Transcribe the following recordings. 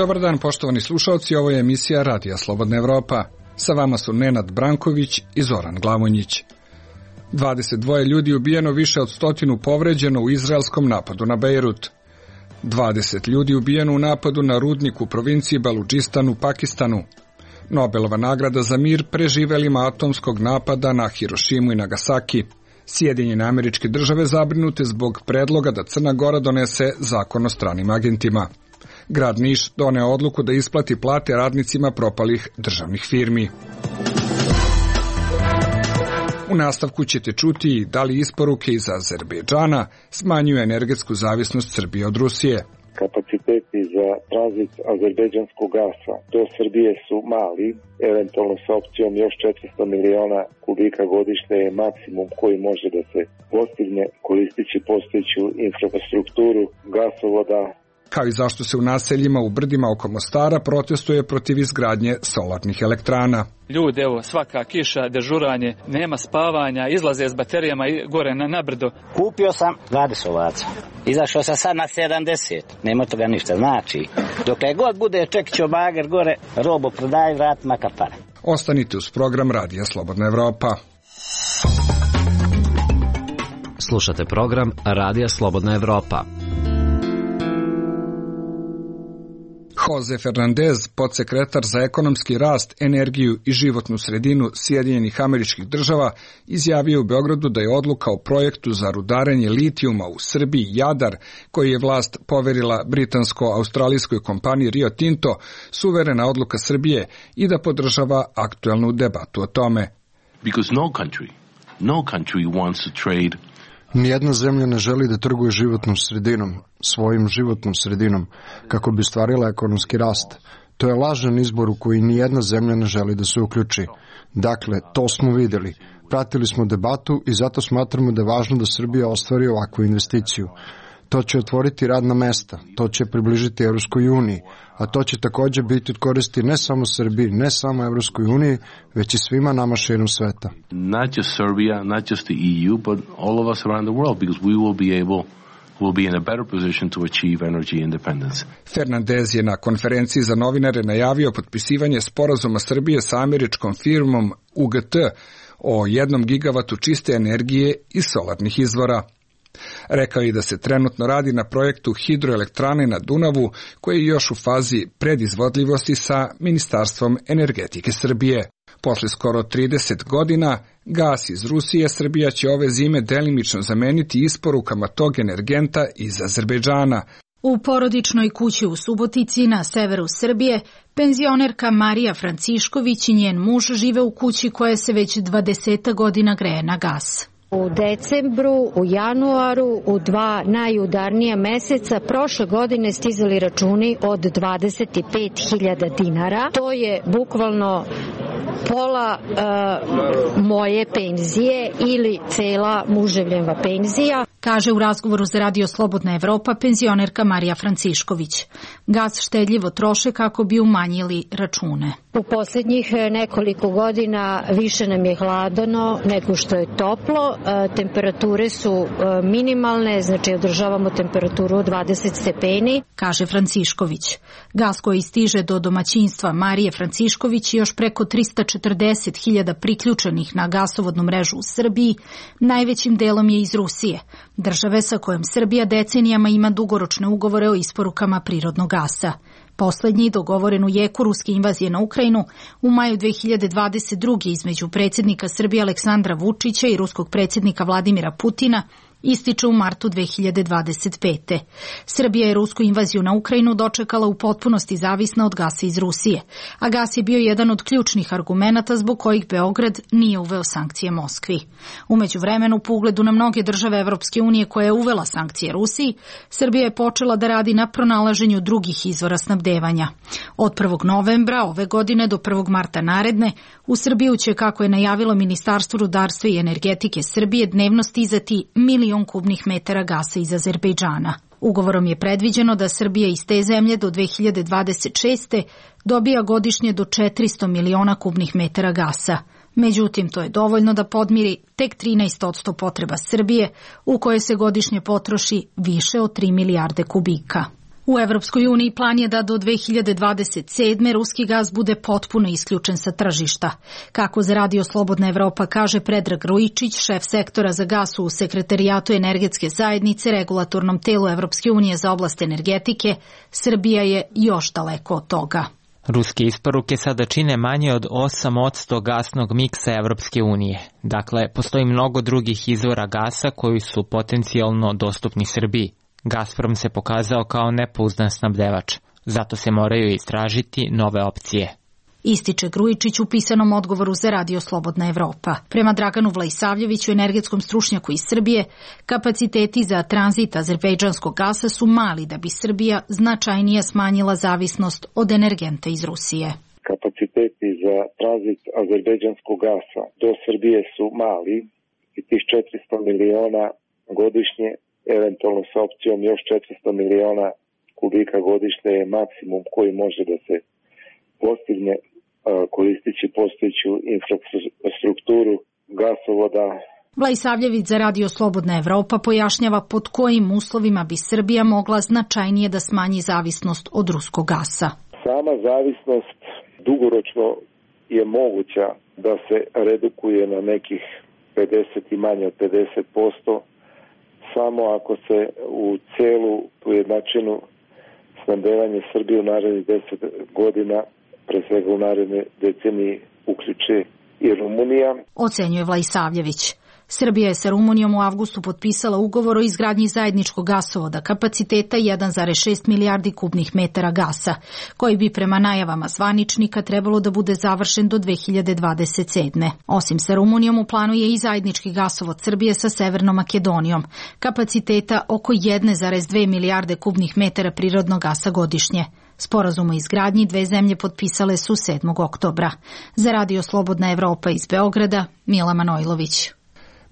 Dobar dan, poštovani slušalci, ovo je emisija Radija Slobodna Evropa. Sa vama su Nenad Branković i Zoran Glavonjić. 22 ljudi ubijeno, više od 100 povređeno u izraelskom napadu na Bejrut. 20 ljudi ubijeno u napadu na rudnik u provinciji Baludžistan u Pakistanu. Nobelova nagrada za mir preživelima atomskog napada na Hirošimu i Nagasaki. Sjedinjene Američke Države zabrinute zbog predloga da Crna Gora donese zakon o stranim agentima. Grad Niš doneo odluku da isplati plate radnicima propalih državnih firmi. U nastavku ćete čuti da li isporuke iz Azerbejdžana smanjuju energetsku zavisnost Srbije od Rusije. Kapaciteti za tranzit azerbejdžanskog gasa do Srbije su mali, eventualno sa opcijom još 400 miliona kubika godišnje je maksimum koji može da se postigne koristeći postojeću infrastrukturu gasovoda. Kao i zašto se u naseljima u brdima oko Mostara protestuje protiv izgradnje solarnih elektrana. Ljudi, evo, svaka kiša, dežuranje, nema spavanja, izlaze s baterijama gore na brdo. Kupio sam 20 ovaca. Izašao sam sad na 70. Nema toga ništa. Znači, dok god bude čekićo bager gore, robo prodaj, vrat makar pare. Ostanite uz program Radija Slobodna Evropa. Slušate program Radija Slobodna Evropa. Jose Fernandez, podsekretar za ekonomski rast, energiju i životnu sredinu Sjedinjenih Američkih Država, izjavio u Beogradu da je odluka o projektu za rudarenje litijuma u Srbiji Jadar, koji je vlast poverila britansko-australijskoj kompaniji Rio Tinto, suverena odluka Srbije i da podržava aktuelnu debatu o tome. Because no country wants to trade. Nijedna zemlja ne želi da trguje životnom sredinom, svojim životnom sredinom, kako bi stvarila ekonomski rast. To je lažan izbor u koji nijedna zemlja ne želi da se uključi. Dakle, to smo videli. Pratili smo debatu i zato smatramo da je važno da Srbija ostvari ovakvu investiciju. To će otvoriti radna mesta, to će približiti Evropskoj uniji, a to će također biti od koristi ne samo Srbiji, ne samo Evropskoj uniji, već i svima nama širom sveta. Not just Serbia, not just the EU, but all of us around the world, because we will be in a better position to achieve energy independence. Fernandez je na konferenciji za novinare najavio potpisivanje sporazuma Srbije sa američkom firmom UGT o 1 gigavatu čiste energije iz solarnih izvora. Rekao je da se trenutno radi na projektu hidroelektrane na Dunavu, koji je još u fazi predizvodljivosti sa Ministarstvom energetike Srbije. Posle skoro 30 godina, gas iz Rusije Srbija će ove zime delimično zameniti isporukama tog energenta iz Azerbejdžana. U porodičnoj kući u Subotici na severu Srbije, penzionerka Marija Francišković i njen muž žive u kući koja se već 20 godina greje na gas. U decembru, u januaru, u 2 najudarnija meseca prošle godine stizali računi od 25.000 dinara. To je bukvalno pola moje penzije ili cela muževljeva penzija. Kaže u razgovoru za Radio Slobodna Evropa penzionerka Marija Francišković. Gas štedljivo troše kako bi umanjili račune. U posljednjih nekoliko godina više nam je hladno nego što je toplo. Temperature su minimalne, znači održavamo temperaturu od 20 stepeni. Kaže Francišković. Gas koji stiže do domaćinstva Marije Francišković i još preko 340.000 priključenih na gasovodnu mrežu u Srbiji, najvećim delom je iz Rusije, države sa kojom Srbija decenijama ima dugoročne ugovore o isporukama prirodnog gasa. Poslednji, dogovoren u jeku ruske invazije na Ukrajinu, u maju 2022. između predsjednika Srbije Aleksandra Vučića i ruskog predsjednika Vladimira Putina, ističe u martu 2025. Srbija je rusku invaziju na Ukrajinu dočekala u potpunosti zavisna od gasa iz Rusije, a gas je bio jedan od ključnih argumenata zbog kojih Beograd nije uveo sankcije Moskvi. U međuvremenu, po ugledu na mnoge države Evropske unije koja je uvela sankcije Rusiji, Srbija je počela da radi na pronalaženju drugih izvora snabdevanja. Od 1. novembra ove godine do 1. marta naredne, u Srbiju će, kako je najavilo Ministarstvo rudarstva i energetike Srbije, dnevno stizati 1.000.000 kubnih metara gasa iz Azerbejdžana. Ugovorom je predviđeno da Srbija iz te zemlje do 2026. dobija godišnje do 400 miliona kubnih metara gasa. Međutim, to je dovoljno da podmiri tek 13% potreba Srbije, u kojoj se godišnje potroši više od 3 milijarde kubika. U Evropskoj uniji plan je da do 2027. ruski gas bude potpuno isključen sa tržišta. Kako za Radio Slobodna Evropa kaže Predrag Rujičić, šef sektora za gas u Sekretarijatu energetske zajednice, regulatornom telu Evropske unije za oblast energetike, Srbija je još daleko od toga. Ruske isporuke sada čine manje od 8% gasnog miksa Evropske unije. Dakle, postoji mnogo drugih izvora gasa koji su potencijalno dostupni Srbiji. Gazprom se pokazao kao nepouzdan snabdevač, zato se moraju istražiti nove opcije. Ističe Grujičić u pisanom odgovoru za Radio Slobodna Evropa. Prema Draganu Vlaisavljeviću, energetskom stručnjaku iz Srbije, kapaciteti za tranzit azerbejdžanskog gasa su mali da bi Srbija značajnije smanjila zavisnost od energenta iz Rusije. Kapaciteti za tranzit azerbejdžanskog gasa do Srbije su mali i tih 400 miliona godišnje, eventualno sa opcijom još 400 miliona kubika godišnje je maksimum koji može da se postigne koristići postojeću infrastrukturu gasovoda. Vlaisavljević za Radio Slobodna Evropa pojašnjava pod kojim uslovima bi Srbija mogla značajnije da smanji zavisnost od ruskog gasa. Sama zavisnost dugoročno je moguća da se redukuje na nekih 50 i manje od 50%, samo ako se u celu ujednačenu snabdevanje Srbije u narednih 10 godina, pre svega u naredne deceniji, uključe i Rumunija. Ocenjuje Vlaisavljević. Srbija je sa Rumunijom u avgustu potpisala ugovor o izgradnji zajedničkog gasovoda kapaciteta 1,6 milijardi kubnih metara gasa, koji bi prema najavama zvaničnika trebalo da bude završen do 2027. Osim sa Rumunijom u planu je i zajednički gasovod Srbije sa Severnom Makedonijom, kapaciteta oko 1,2 milijarde kubnih metara prirodnog gasa godišnje. Sporazum o izgradnji dve zemlje potpisale su 7. oktobra. Za Radio Slobodna Evropa iz Beograda, Mila Manojlović.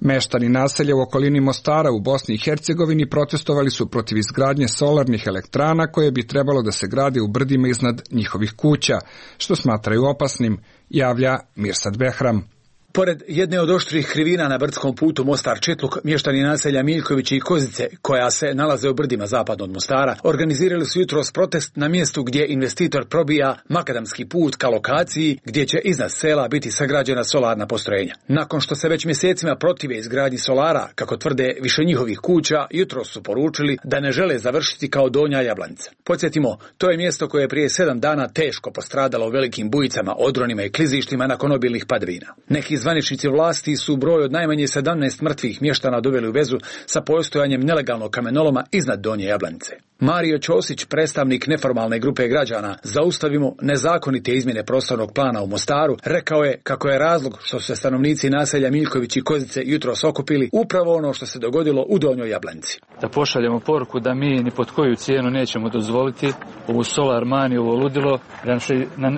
Meštani naselja u okolini Mostara u Bosni i Hercegovini protestovali su protiv izgradnje solarnih elektrana koje bi trebalo da se grade u brdima iznad njihovih kuća, što smatraju opasnim, javlja Mirsad Behram. Pored jedne od oštrih krivina na brdskom putu Mostar-Četluk, mještani naselja Miljkovići i Kozice, koja se nalaze u brdima zapadno od Mostara, organizirali su jutros protest na mjestu gdje investitor probija makadamski put ka lokaciji gdje će iznad sela biti sagrađena solarna postrojenja. Nakon što se već mjesecima protive izgradnji solara, kako tvrde više njihovih kuća, jutros su poručili da ne žele završiti kao Donja Jablanica. Podsjetimo, to je mjesto koje je prije 7 dana teško postradalo u velikim bujicama, odronima i klizištima nakon obilnih padavina. Neki zvaničnici vlasti su broj od najmanje 17 mrtvih mještana doveli u vezu sa postojanjem nelegalnog kamenoloma iznad Donje Jablanice. Mario Ćosić, predstavnik neformalne grupe građana Zaustavimo nezakonite izmjene prostornog plana u Mostaru, rekao je kako je razlog što su se stanovnici naselja Miljković i Kozice jutros okupili upravo ono što se dogodilo u Donjoj Jablanici. Da pošaljemo poruku da mi ni pod koju cijenu nećemo dozvoliti ovu solar maniju, ovo ludilo, da se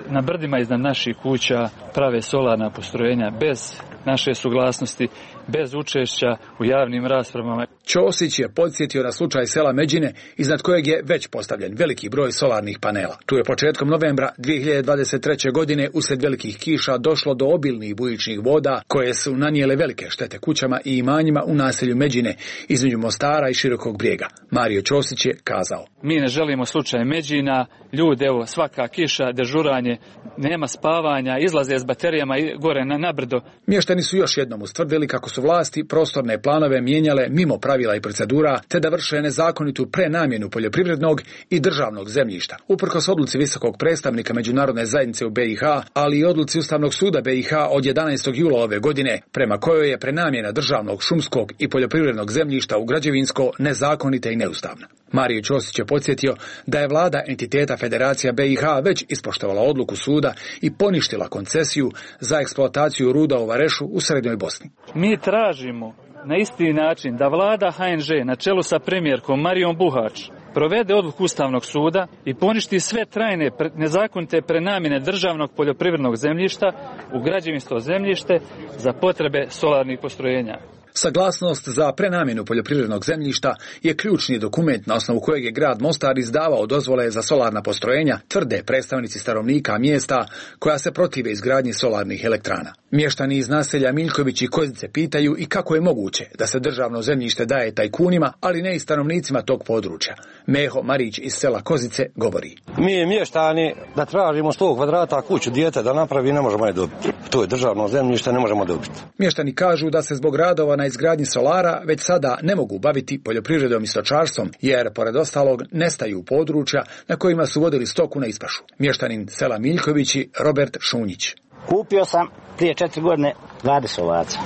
na brdima iznad naših kuća prave solarna postrojenja bez naše suglasnosti, bez učešća u javnim raspravama. Ćosić je podsjetio na slučaj sela Međine, iznad kojeg je već postavljen veliki broj solarnih panela. Tu je početkom novembra 2023. godine usred velikih kiša došlo do obilnih bujičnih voda koje su nanijele velike štete kućama i imanjima u naselju Međine između Mostara i Širokog Brijega. Mario Ćosić je kazao: Mi ne želimo slučaj Međina, ljudi, evo, svaka kiša, dežuranje, nema spavanja, izlaze s baterijama gore na brdo. Mještani su još jednom ustvrdili kako su vlasti prostorne planove mijenjale mimo pravila i procedura, te da vrše nezakonitu prenamjenu poljoprivrednog i državnog zemljišta. Uprkos odluci visokog predstavnika međunarodne zajednice u BiH, ali i odluci Ustavnog suda BiH od 11. jula ove godine, prema kojoj je prenamjena državnog, šumskog i poljoprivrednog zemljišta u građevinsko nezakonita i neustavna. Mario Ćosić je podsjetio da je vlada entiteta Federacija BiH već ispoštovala odluku suda i poništila koncesiju za eksploataciju ruda u Varešu u Srednjoj Bosni. Mi tražimo na isti način da vlada HNŽ na čelu sa premijerkom Marijom Buhač provede odluku Ustavnog suda i poništi sve trajne nezakonite prenamjene državnog poljoprivrednog zemljišta u građevinsko zemljište za potrebe solarnih postrojenja. Saglasnost za prenamjenu poljoprivrednog zemljišta je ključni dokument na osnovu kojeg je grad Mostar izdavao dozvole za solarna postrojenja, tvrde predstavnici stanovnika mjesta koja se protive izgradnji solarnih elektrana. Mještani iz naselja Miljković i Kozice pitaju i kako je moguće da se državno zemljište daje tajkunima, ali ne i stanovnicima tog područja. Meho Marić iz sela Kozice govori. Mi mještani da tražimo 100 kvadrata kuću dijete da napravi ne možemo je dobiti. To je državno zemljište, ne možemo dobiti. Mještani kažu da se zbog radova na izgradnji solara već sada ne mogu baviti poljoprivredom i stočarstvom, jer pored ostalog nestaju područja na kojima su vodili stoku na ispašu. Mještanin sela Miljkovići Robert Šunjić. Kupio sam prije 4 godine 20 ovaca.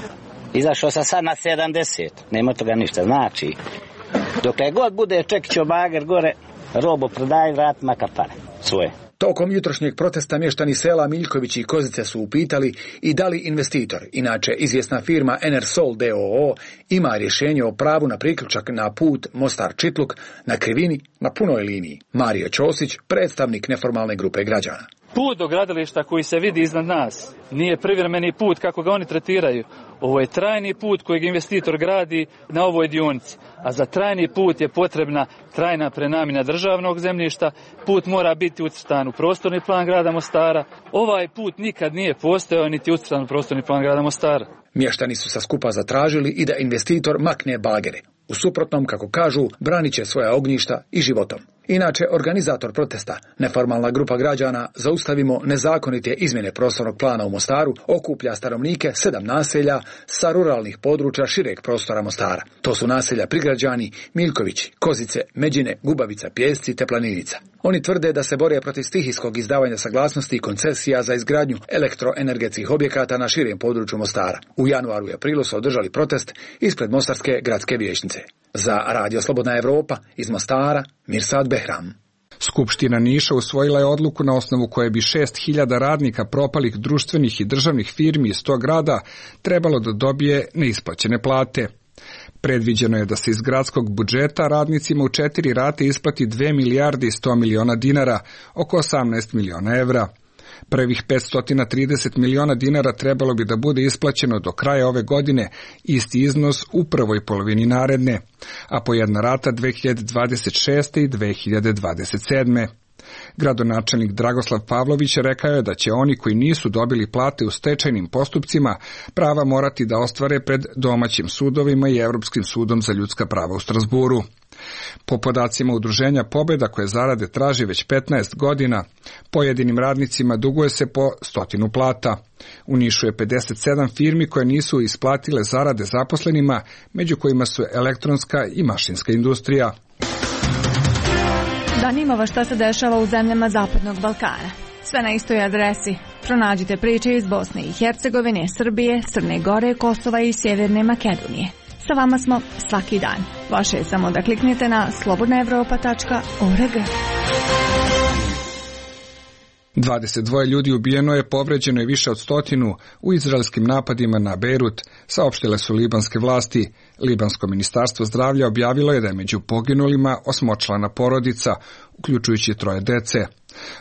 Izašao sam sad na 70. Nema toga ništa. Znači, dokle god bude čekićo bager gore, robo prodaj, vrat makar pare svoje. Tokom jutrošnjeg protesta mještani sela Miljković i Kozice su upitali i da li investitor, inače izvjesna firma Enersol d.o.o. ima rješenje o pravu na priključak na put Mostar-Čitluk na krivini na punoj liniji. Mario Ćosić, predstavnik neformalne grupe građana. Put do gradilišta koji se vidi iznad nas nije privremeni put kako ga oni tretiraju. Ovo je trajni put kojeg investitor gradi na ovoj dionici. A za trajni put je potrebna trajna prenamjena državnog zemljišta. Put mora biti ucrtan u prostorni plan grada Mostara. Ovaj put nikad nije postojao niti ucrtan u prostorni plan grada Mostara. Mještani su sa skupa zatražili i da investitor makne bagere. U suprotnom, kako kažu, branit će svoja ognjišta i životom. Inače, organizator protesta, neformalna grupa građana Zaustavimo nezakonite izmjene prostornog plana u Mostaru, okuplja stanovnike 7 naselja sa ruralnih područja šireg prostora Mostara. To su naselja Prigrađani, Miljkovići, Kozice, Međine, Gubavica, Pjesci te Planinica. Oni tvrde da se bore protiv stihijskog izdavanja saglasnosti i koncesija za izgradnju elektroenergetskih objekata na širem području Mostara. U januaru i aprilu su održali protest ispred Mostarske gradske vijećnice. Za Radio Slobodna Evropa iz Mostara, Mirsad Behram. Skupština Niša usvojila je odluku na osnovu koje bi 6.000 radnika propalih društvenih i državnih firmi iz tog grada trebalo da dobije neisplaćene plate. Predviđeno je da se iz gradskog budžeta radnicima u 4 rate isplati 2 milijarde i 100 miliona dinara, oko 18 miliona evra. Prvih 530 miliona dinara trebalo bi da bude isplaćeno do kraja ove godine, isti iznos u prvoj polovini naredne, a po jedna rata 2026. i 2027. Gradonačelnik Dragoslav Pavlović rekao je da će oni koji nisu dobili plate u stečajnim postupcima prava morati da ostvare pred domaćim sudovima i Evropskim sudom za ljudska prava u Strasburu. Po podacima udruženja Pobeda koje zarade traži već 15 godina, pojedinim radnicima duguje se po 100 plata. U Nišu je 57 firmi koje nisu isplatile zarade zaposlenima, među kojima su elektronska i mašinska industrija. Zanima vas šta se dešava u zemljama Zapadnog Balkana. Sve na istoj adresi. Pronađite priče iz Bosne i Hercegovine, Srbije, Crne Gore, Kosova i Sjeverne Makedonije. Sa vama smo svaki dan. Vaše je samo da kliknete na slobodnaevropa.org. 22 ljudi ubijeno je, povređeno je više od 100 u izraelskim napadima na Bejrut, saopštile su libanske vlasti. Libansko ministarstvo zdravlja objavilo je da je među poginulima 8-člana porodica, uključujući 3 dece.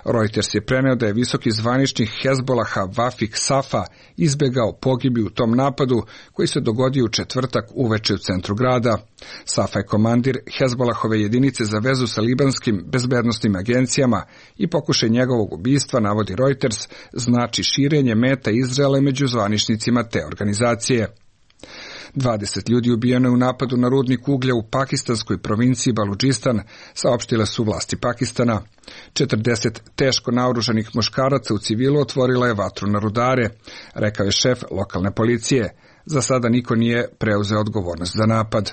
Reuters je preneo da je visoki zvaničnik Hezbolaha Vafik Safa izbegao pogibiju u tom napadu koji se dogodio u četvrtak uveče u centru grada. Safa je komandir Hezbolahove jedinice za vezu sa libanskim bezbednosnim agencijama i pokušaj njegovog ubistva, navodi Reuters, znači širenje meta Izraela među zvaničnicima te organizacije. 20 ljudi ubijeno je u napadu na rudnik uglja u pakistanskoj provinciji Baludžistan, saopštile su vlasti Pakistana. 40 teško naoružanih muškaraca u civilu otvorila je vatru na rudare, rekao je šef lokalne policije. Za sada niko nije preuzeo odgovornost za napad.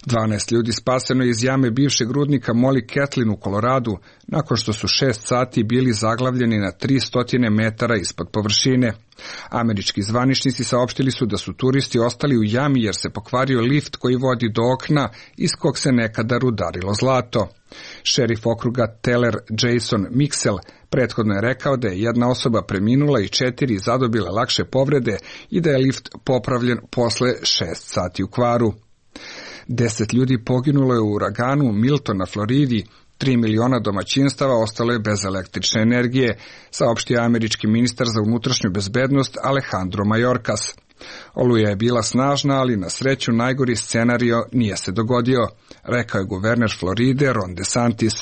12 ljudi spaseno je iz jame bivšeg rudnika Molly Catlin u Koloradu, nakon što su 6 sati bili zaglavljeni na 300 metara ispod površine. Američki zvaničnici saopštili su da su turisti ostali u jami jer se pokvario lift koji vodi do okna iz kog se nekada rudarilo zlato. Šerif okruga Teller Jason Mixel prethodno je rekao da je jedna osoba preminula i 4 zadobile lakše povrede i da je lift popravljen posle 6 sati u kvaru. 10 ljudi poginulo je u uraganu Milton na Floridi, 3 miliona domaćinstava ostalo je bez električne energije, saopštio američki ministar za unutrašnju bezbednost Alejandro Mayorkas. Oluja je bila snažna, ali na sreću najgori scenario nije se dogodio, rekao je guverner Floride Ron DeSantis.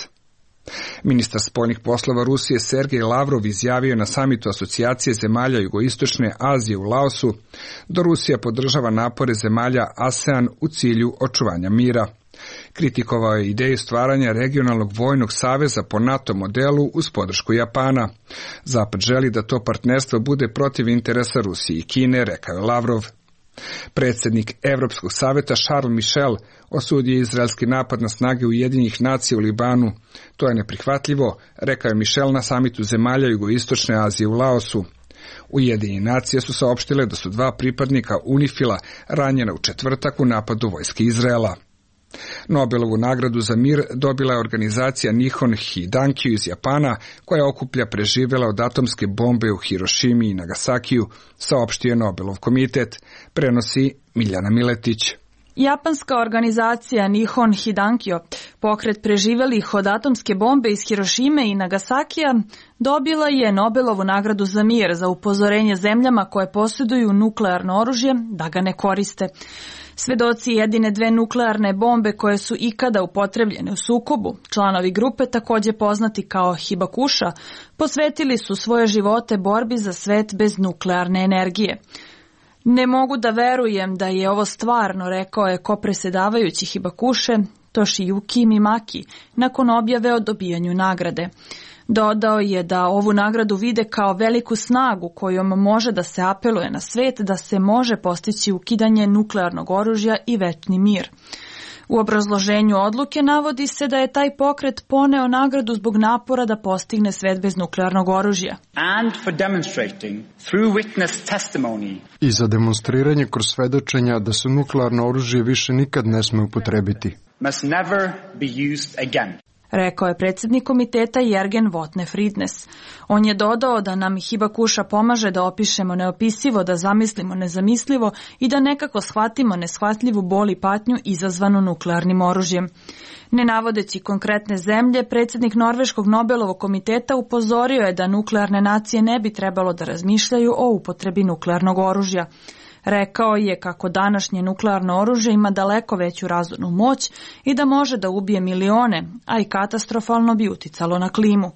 Ministar spoljnih poslova Rusije Sergej Lavrov izjavio na samitu Asocijacije zemalja Jugoistočne Azije u Laosu da Rusija podržava napore zemalja ASEAN u cilju očuvanja mira. Kritikovao je ideju stvaranja regionalnog vojnog saveza po NATO modelu uz podršku Japana. Zapad želi da to partnerstvo bude protiv interesa Rusije i Kine, rekao je Lavrov. Predsjednik Evropskog saveta Charles Michel osudio izraelski napad na snage Ujedinjenih nacija u Libanu. To je neprihvatljivo, rekao je Michel na samitu zemalja Jugoistočne Azije u Laosu. Ujedinjene nacije su saopštile da su 2 pripadnika UNIFIL-a ranjena u četvrtak u napadu vojske Izraela. Nobelovu nagradu za mir dobila je organizacija Nihon Hidankyu iz Japana, koja okuplja preživjela od atomske bombe u Hirošimi i Nagasakiju, saopštio je Nobelov komitet, prenosi Miljana Miletić. Japanska organizacija Nihon Hidankyo, pokret preživelih od atomske bombe iz Hirošime i Nagasakija, dobila je Nobelovu nagradu za mir za upozorenje zemljama koje posjeduju nuklearno oružje da ga ne koriste. Svedoci jedine 2 nuklearne bombe koje su ikada upotrebljene u sukobu, članovi grupe također poznati kao Hibakusha, posvetili su svoje živote borbi za svet bez nuklearne energije. Ne mogu da verujem da je ovo stvarno, rekao je kopresedavajući Hibakushe Toshiyuki Mimaki nakon objave o dobijanju nagrade. Dodao je da ovu nagradu vide kao veliku snagu kojom može da se apeluje na svet da se može postići ukidanje nuklearnog oružja i večni mir. U obrazloženju odluke navodi se da je taj pokret poneo nagradu zbog napora da postigne svet bez nuklearnog oružja. I za demonstriranje kroz svedočenja da se nuklearno oružje više nikad ne sme upotrebiti. Rekao je predsjednik komiteta Jergen Votne Fridnes. On je dodao da nam Hibakusha pomaže da opišemo neopisivo, da zamislimo nezamislivo i da nekako shvatimo neshvatljivu bol i patnju izazvanu nuklearnim oružjem. Ne navodeći konkretne zemlje, predsjednik Norveškog Nobelovog komiteta upozorio je da nuklearne nacije ne bi trebalo da razmišljaju o upotrebi nuklearnog oružja. Rekao je kako današnje nuklearno oružje ima daleko veću razornu moć i da može da ubije milione, a i katastrofalno bi uticalo na klimu.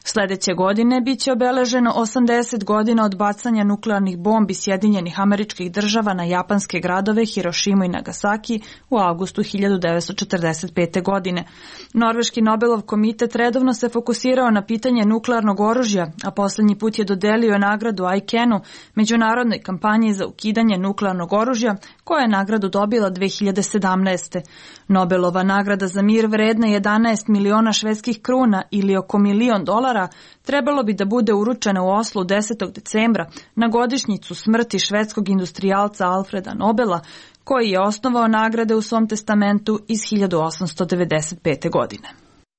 Sljedeće godine biće obeleženo 80 godina od bacanja nuklearnih bombi Sjedinjenih Američkih Država na japanske gradove Hirošimu i Nagasaki u avgustu 1945. godine. Norveški Nobelov komitet redovno se fokusirao na pitanje nuklearnog oružja, a posljednji put je dodelio nagradu ICAN-u, međunarodnoj kampanji za ukidanje nuklearnog oružja, koja je nagradu dobila 2017. Nobelova nagrada za mir vredna 11 miliona švedskih kruna ili oko $1 milion trebalo bi da bude uručena u Oslu 10. decembra na godišnjicu smrti švedskog industrijalca Alfreda Nobela, koji je osnovao nagrade u svom testamentu iz 1895. godine.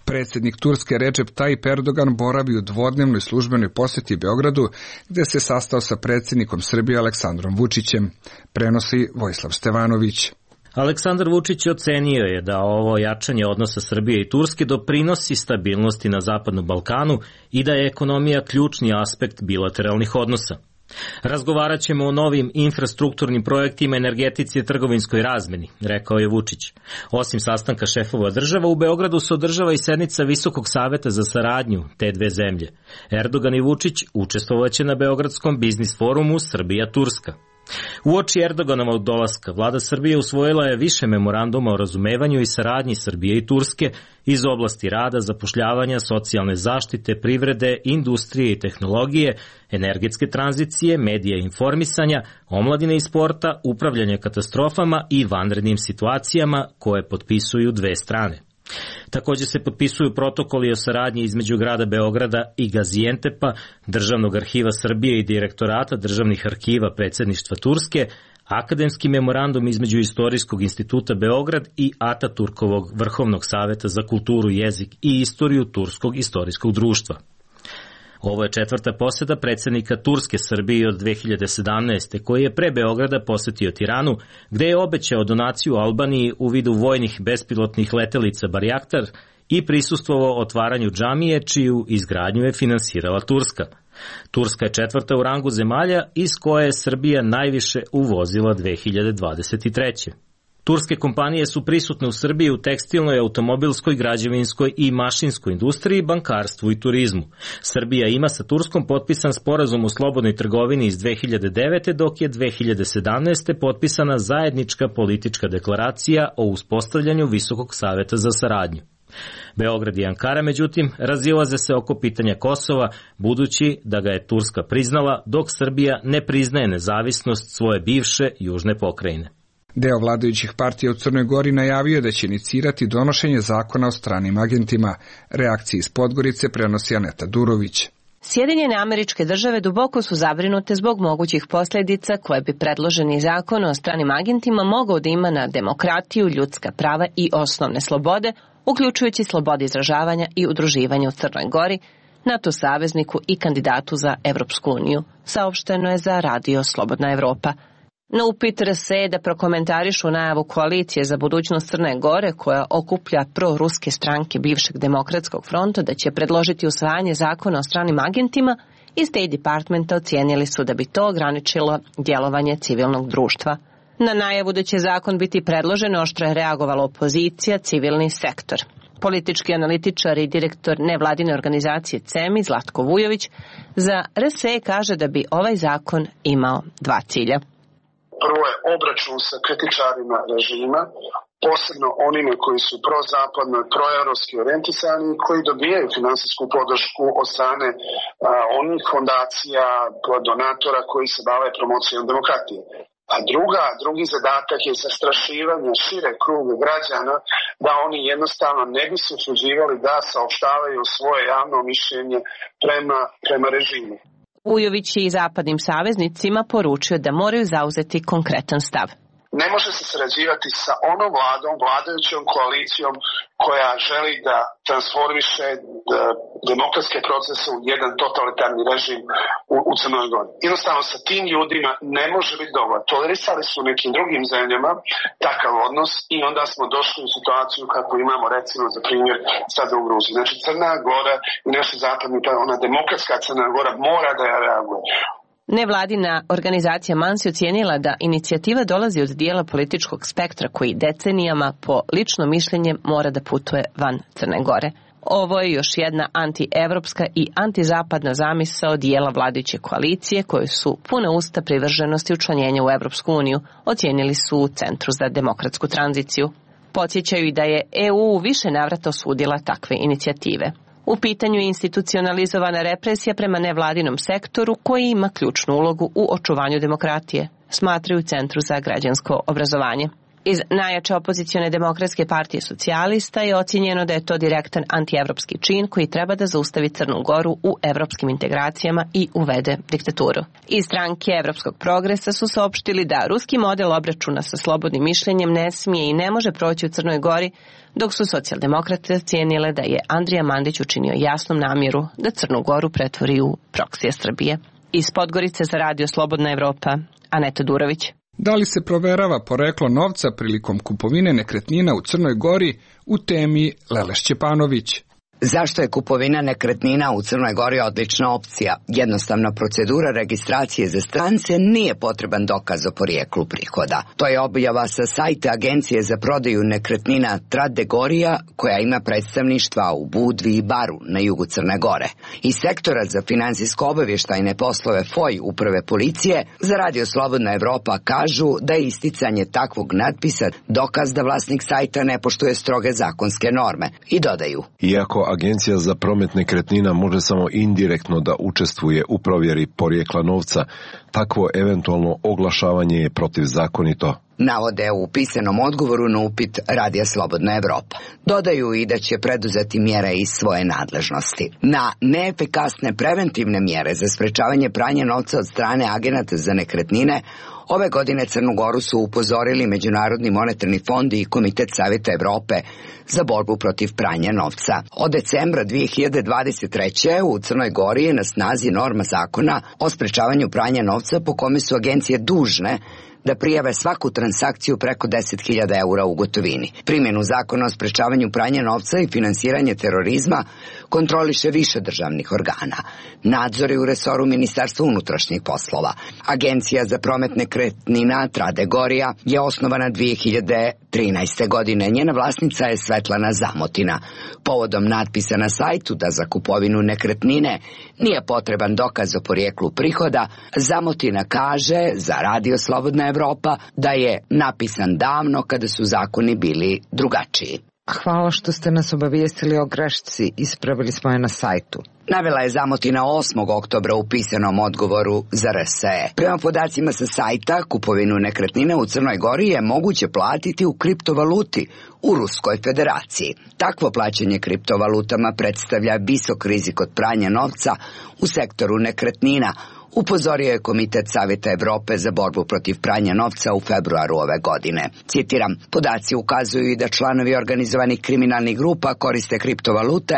Predsjednik Turske Recep Tayyip Erdogan boravi u dvodnevnoj službenoj posjeti Beogradu, gdje se sastao sa predsjednikom Srbije Aleksandrom Vučićem, prenosi Vojislav Stevanović. Aleksandar Vučić ocenio je da ovo jačanje odnosa Srbije i Turske doprinosi stabilnosti na Zapadnom Balkanu i da je ekonomija ključni aspekt bilateralnih odnosa. Razgovarat ćemo o novim infrastrukturnim projektima, energetici i trgovinskoj razmeni, rekao je Vučić. Osim sastanka šefova država, u Beogradu se održava i sednica Visokog saveta za saradnju te 2 zemlje. Erdogan i Vučić učestvovaće na Beogradskom biznis forumu Srbija-Turska. Uoči Erdoganovog dolaska, vlada Srbije usvojila je više memoranduma o razumevanju i saradnji Srbije i Turske iz oblasti rada, zapošljavanja, socijalne zaštite, privrede, industrije i tehnologije, energetske tranzicije, medija i informisanja, omladine i sporta, upravljanja katastrofama i vanrednim situacijama koje potpisuju 2 strane. Također se potpisuju protokoli o saradnji između grada Beograda i Gazijentepa, Državnog arhiva Srbije i Direktorata državnih arhiva predsjedništva Turske, akademski memorandum između Istorijskog instituta Beograd i Ataturkovog Vrhovnog saveta za kulturu, jezik i istoriju Turskog istorijskog društva. Ovo je 4. posjeta predsjednika Turske Srbiji od 2017. koji je pre Beograda posjetio Tiranu, gde je obećao donaciju Albaniji u vidu vojnih bespilotnih letelica Barjaktar i prisustvovao otvaranju džamije, čiju izgradnju je finansirala Turska. Turska je četvrta u rangu zemalja iz koje je Srbija najviše uvozila 2023. Turske kompanije su prisutne u Srbiji u tekstilnoj, automobilskoj, građevinskoj i mašinskoj industriji, bankarstvu i turizmu. Srbija ima sa Turskom potpisan sporazum o slobodnoj trgovini iz 2009. dok je 2017. potpisana zajednička politička deklaracija o uspostavljanju Visokog saveta za saradnju. Beograd i Ankara, međutim, razilaze se oko pitanja Kosova, budući da ga je Turska priznala, dok Srbija ne priznaje nezavisnost svoje bivše južne pokrajine. Deo vladajućih partija u Crnoj Gori najavio da će inicirati donošenje zakona o stranim agentima. Reakciji iz Podgorice prenosi Aneta Durović. Sjedinjene Američke Države duboko su zabrinute zbog mogućih posljedica koje bi predloženi zakon o stranim agentima mogao da ima na demokratiju, ljudska prava i osnovne slobode, uključujući slobode izražavanja i udruživanja u Crnoj Gori, NATO savezniku i kandidatu za Evropsku uniju, saopšteno je za radio Slobodna Evropa. Na upit RSE da prokomentarišu najavu koalicije za budućnost Crne Gore, koja okuplja proruske stranke bivšeg demokratskog fronta, da će predložiti usvajanje zakona o stranim agentima, iz State Departmenta ocijenili su da bi to ograničilo djelovanje civilnog društva. Na najavu da će zakon biti predložen oštro je reagovala opozicija, civilni sektor. Politički analitičar i direktor nevladine organizacije CEMI Zlatko Vujović za RSE kaže da bi ovaj zakon imao dva cilja. Prvo je obračun sa kritičarima režima, posebno onima koji su prozapadno i proeuropski orijentisani i koji dobijaju finansijsku podršku od strane onih fondacija, donatora koji se bave promocijom demokratije. A drugi zadatak je zastrašivanje šire kruga građana da oni jednostavno ne bi se usuđivali da saopštavaju svoje javno mišljenje prema režimu. Vujović je i zapadnim saveznicima poručio da moraju zauzeti konkretan stav. Ne može se sarađivati sa onom vladajućom koalicijom koja želi da transformiše demokratske procese u jedan totalitarni režim u Crnoj Gori. Jednostavno sa tim ljudima ne može biti dobro. Tolerisali su u nekim drugim zemljama takav odnos i onda smo došli u situaciju kako imamo recimo za primjer sada u Gruziji. Znači Crna Gora i naši zapadni, ona demokratska Crna Gora mora da ja reaguje. Nevladina organizacija MANSI ocijenila da inicijativa dolazi od dijela političkog spektra koji decenijama po lično mišljenje mora da putuje van Crne Gore. Ovo je još jedna antievropska i antizapadna zamisao dijela vladajuće koalicije koje su pune usta privrženosti učlanjenja u Evropsku uniju, ocijenili su u Centru za demokratsku tranziciju. Podsjećaju i da je EU više navrata osudila takve inicijative. U pitanju je institucionalizovana represija prema nevladinom sektoru koji ima ključnu ulogu u očuvanju demokratije, smatraju Centru za građansko obrazovanje. Iz najjače opozicione demokratske partije socijalista je ocijenjeno da je to direktan antievropski čin koji treba da zaustavi Crnu Goru u evropskim integracijama i uvede diktaturu. Iz stranke Evropskog progresa su saopštili da ruski model obračuna sa slobodnim mišljenjem ne smije i ne može proći u Crnoj Gori, dok su socijaldemokrate ocijenile da je Andrija Mandić učinio jasnom namjeru da Crnu Goru pretvori u proksije Srbije. Iz Podgorice za radio Slobodna Evropa, Aneta Durović. Da li se proverava poreklo novca prilikom kupovine nekretnina u Crnoj Gori, u temi Lele Šćepanović. Zašto je kupovina nekretnina u Crnoj Gori odlična opcija? Jednostavna procedura registracije za strance nije potreban dokaz o porijeklu prihoda. To je objava sa sajta Agencije za prodaju nekretnina Trade Gorija, koja ima predstavništva u Budvi i Baru na jugu Crne Gore. Iz sektora za finansijsko-obavještajne poslove FOI Uprave policije za radio Slobodna Evropa kažu da je isticanje takvog natpisa dokaz da vlasnik sajta ne poštuje stroge zakonske norme i dodaju. Iako Agencija za promet nekretnina može samo indirektno da učestvuje u provjeri porijekla novca, takvo eventualno oglašavanje je protivzakonito. Navode u pisanom odgovoru na upit Radija Slobodna Evropa. Dodaju i da će preduzeti mjere iz svoje nadležnosti. Na neefikasne preventivne mjere za sprečavanje pranja novca od strane agenata za nekretnine ove godine Crnu Goru su upozorili Međunarodni monetarni fond i Komitet Savjeta Evrope za borbu protiv pranja novca. Od decembra 2023. u Crnoj Gori je na snazi norma zakona o sprečavanju pranja novca po kome su agencije dužne da prijave svaku transakciju preko 10.000 eura u gotovini. Primjenu zakona o sprečavanju pranja novca i finansiranje terorizma kontroliše više državnih organa. Nadzor je u resoru Ministarstva unutrašnjih poslova. Agencija za promet nekretnina Trade Gorija je osnovana 2013. godine. Njena vlasnica je Svetlana Zamotina. Povodom natpisa na sajtu da za kupovinu nekretnine nije potreban dokaz o porijeklu prihoda, Zamotina kaže za Radio Slobodna Evropa da je napisan davno kada su zakoni bili drugačiji. Hvala što ste nas obavijestili o grešci, ispravili smo je na sajtu. Navela je Zamotina 8. oktobra u pisanom odgovoru za RSE. Prema podacima sa sajta, kupovinu nekretnina u Crnoj Gori je moguće platiti u kriptovaluti u Ruskoj federaciji. Takvo plaćanje kriptovalutama predstavlja visok rizik od pranja novca u sektoru nekretnina, upozorio je Komitet Savjeta Evrope za borbu protiv pranja novca u februaru ove godine. Citiram, podaci ukazuju i da članovi organizovanih kriminalnih grupa koriste kriptovalute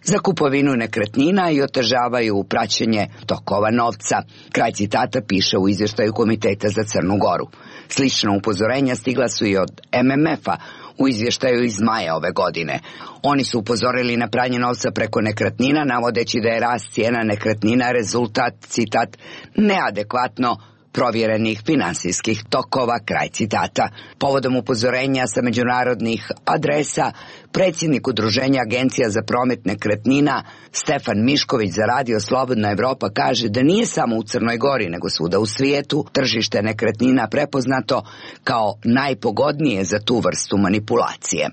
za kupovinu nekretnina i otežavaju praćenje tokova novca. Kraj citata piše u izvještaju Komiteta za Crnu Goru. Slična upozorenja stigla su i od MMF-a u izvještaju iz maja ove godine. Oni su upozorili na pranje novca preko nekretnina, navodeći da je rast cijena nekretnina rezultat, citat, neadekvatno provjerenih finansijskih tokova, kraj citata. Povodom upozorenja sa međunarodnih adresa, predsjednik Udruženja Agencija za promet nekretnina Stefan Mišković za Radio Slobodna Evropa kaže da nije samo u Crnoj Gori, nego svuda u svijetu tržište nekretnina prepoznato kao najpogodnije za tu vrstu manipulacije.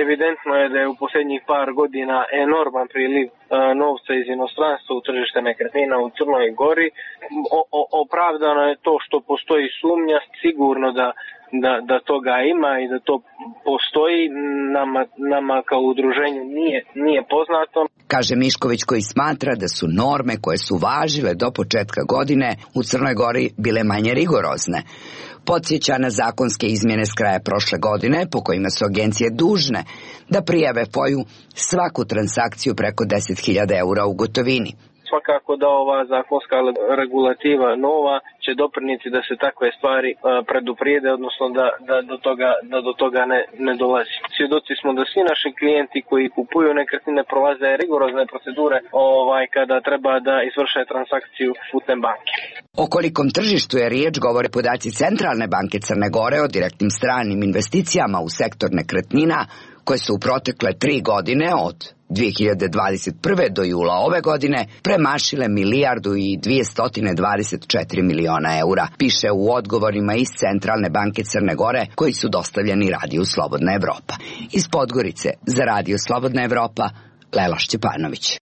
Evidentno je da je u posljednjih par godina enorman priliv novca iz inostranstva u tržište nekretnina u Crnoj Gori. Opravdano je to što postoji sumnja, sigurno da toga ima i da to postoji, nama kao udruženju nije poznato. Kaže Mišković, koji smatra da su norme koje su važile do početka godine u Crnoj Gori bile manje rigorozne. Podsjeća na zakonske izmjene s kraja prošle godine po kojima su agencije dužne da prijave FOI-u svaku transakciju preko 10.000 eura u gotovini. Svakako da ova zakonska regulativa nova će doprinijeti da se takve stvari preduprijede, odnosno da do toga ne dolazi. Svjedoci smo da svi naši klijenti koji kupuju nekretnine prolaze rigorozne procedure kada treba da izvrše transakciju putem banke. O kolikom tržištu je riječ govore podaci Centralne banke Crne Gore o direktnim stranim investicijama u sektor nekretnina koje su u protekle 3 godine od 2021. do jula ove godine premašile 1.224 miliona eura, piše u odgovorima iz Centralne banke Crne Gore koji su dostavljeni Radiju Slobodna Evropa. Iz Podgorice za Radio Slobodna Evropa, Lela Šćepanović.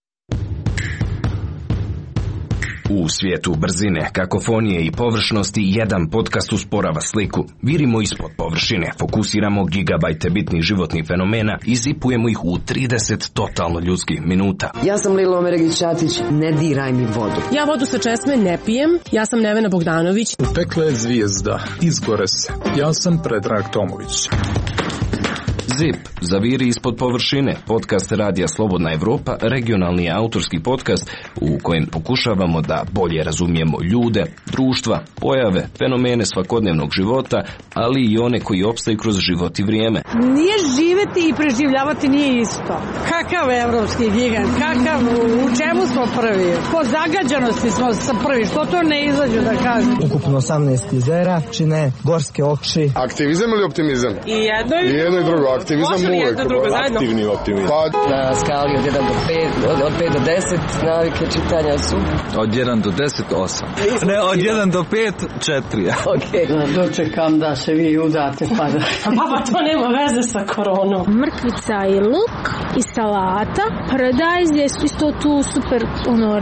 U svijetu brzine, kakofonije i površnosti jedan podcast usporava sliku. Virimo ispod površine, fokusiramo gigabajte bitnih životnih fenomena i zipujemo ih u 30 totalno ljudskih minuta. Ja sam Lilo Omeregić-Ćatić, ne diraj mi vodu. Ja vodu sa česme ne pijem, ja sam Nevena Bogdanović. Pekla je zvijezda, izgore se. Ja sam Predrag Tomović. ZIP, zaviri ispod površine, podcast Radija Slobodna Evropa, regionalni autorski podcast u kojem pokušavamo da bolje razumijemo ljude, društva, pojave, fenomene svakodnevnog života, ali i one koji opstaju kroz život i vrijeme. Nije živeti i preživljavati nije isto. Kakav evropski gigant, u čemu smo prvi? Po zagađanosti smo prvi, što to ne izađu da kažem. Ukupno 18 jezera, čine gorske oči. Aktivizam ili optimizam? I jedno i drugo. Aktivizam uvijek, aktivni optimizam. Na skali od 1 do 5, od 5 do 10, navike čitanja su? Od 1 do 10, 8. Ne, od 1 do 5, 4. Ok. Dočekam da se vi udate, pa da... Pa to nema veze sa koronom. Mrkvica i luk i salata, paradajz je isto tu super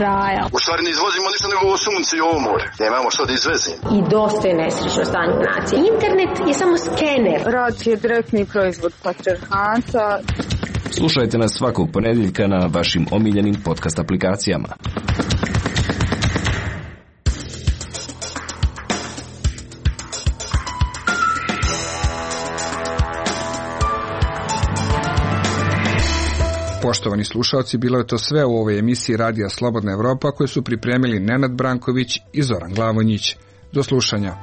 raja. U stvari ne izvozimo ništa nego ovo sunce i ovo more. Nemamo što da izvezimo. I dosta je nesrećno stanje u naciji. Internet je samo skener. Rad je direktni proizvod patrijarhata. Slušajte nas svakog ponedjeljka na vašim omiljenim podcast aplikacijama. Poštovani slušalci, bilo je to sve u ovoj emisiji Radija Slobodna Evropa koju su pripremili Nenad Branković i Zoran Glavonjić. Do slušanja.